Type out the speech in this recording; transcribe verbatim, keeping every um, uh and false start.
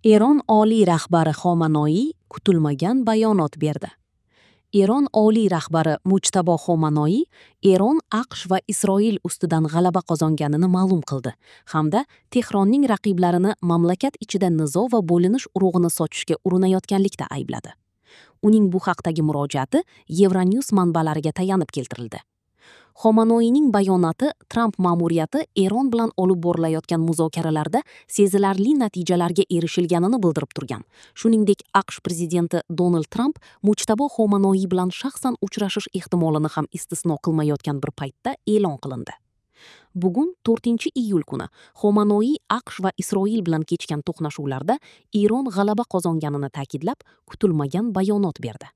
Eron oliy rahbari Xomanoiy kutilmagan bayonot berdi. Eron oliy rahbari Mujtabo Xomanoiy Eron AQSh va Isroil ustidan g'alaba qozonganini ma'lum qildi hamda Tehronning raqiblarini mamlakat ichida nizo va bo'linish urug'ini sochishga urinayotganlikda aybladi. Uning bu haqdagi murojaati Euronews manbalariga tayanib keltirildi. Xomanoiyning bayonoti Tramp ma'muriyati Eron bilan olib borilayotgan muzokaralarda sezilarli natijalarga erishilganini bildirib turgan. Shuningdek, AQSh prezidenti Donald Tramp Mujtabo Xomanoiy bilan shaxsan uchrashish ehtimolini ham istisno qilmayotgan bir paytda e'lon qilindi. Bugun to'rtinchi iyul kuni Xomanoiy AQSh va Isroil bilan kechgan to'qnashuvlarda Eron g'alaba qozonganini ta'kidlab, kutilmagan bayonot berdi.